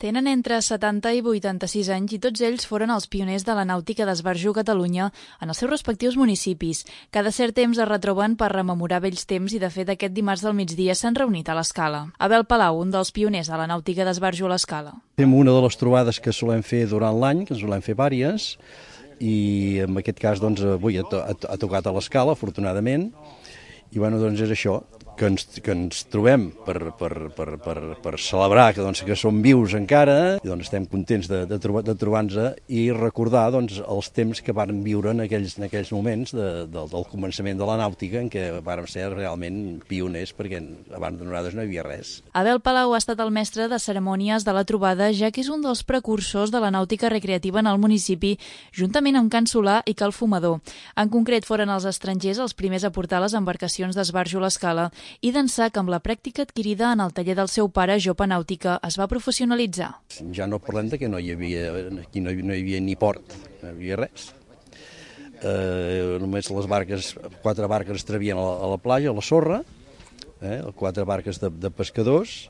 Tenen entre 70 i 86 anys i tots ells foren els pioners de la nàutica d'esbarjo a Catalunya en els seus respectius municipis. Cada cert temps es retroben per rememorar vells temps i, de fet, aquest dimarts del migdia s'han reunit a l'Escala. Abel Palau, un dels pioners de la nàutica d'esbarjo a l'Escala. Fem una de les trobades que solem fer durant l'any, que en solem fer vàries, i en aquest cas doncs, avui ha tocat a l'Escala, afortunadament, i bueno, doncs és això, que ens trobem per celebrar que som vius encara, i doncs estem contents de trobar-nos i recordar doncs, els temps que vàrem viure en aquells moments del començament de la nàutica, en què vàrem ser realment pioners, perquè abans de nosaltres no hi havia res. Abel Palau ha estat el mestre de cerimònies de la trobada, ja que és un dels precursors de la nàutica recreativa en el municipi, juntament amb Can Solà i Cal Fumador. En concret, foren els estrangers els primers a portar les embarcacions d'esbarjo a l'Escala i d'ençà que amb la pràctica adquirida en el taller del seu pare, Jopa Nàutica, es va professionalitzar. Ja no parlem que no hi havia ni port, no hi havia res. Només les barques, 4 barques es travien a la platja, a la sorra, 4 barques de pescadors,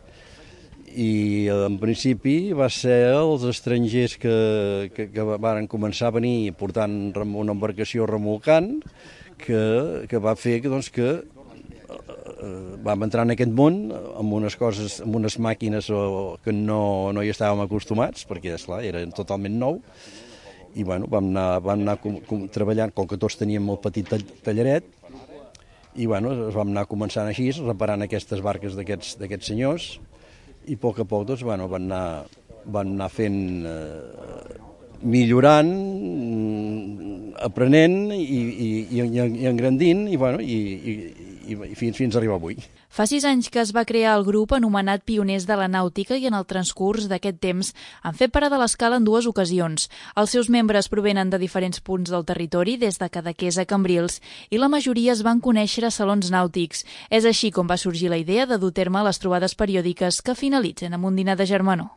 i en principi va ser els estrangers que van començar a venir portant una embarcació remolcant, que va fer que vam entrar en aquest món amb unes coses, amb unes màquines que no hi estàvem acostumats, perquè esclar, era totalment nou, i bueno, vam anar treballant, com que tots teníem molt petit tallaret, i bueno, vam anar començant així, reparant aquestes barques d'aquests senyors, i a poc doncs, bueno, van anar fent, millorant, aprenent i engrandint, i bueno, i fins a arribar avui. Fa 6 anys que es va crear el grup anomenat Pioners de la Nàutica i en el transcurs d'aquest temps han fet parada a l'Escala en 2 ocasions. Els seus membres provenen de diferents punts del territori, des de Cadaqués a Cambrils, i la majoria es van conèixer a salons nàutics. És així com va sorgir la idea de dur a terme les trobades periòdiques que finalitzen amb un dinar de germanor.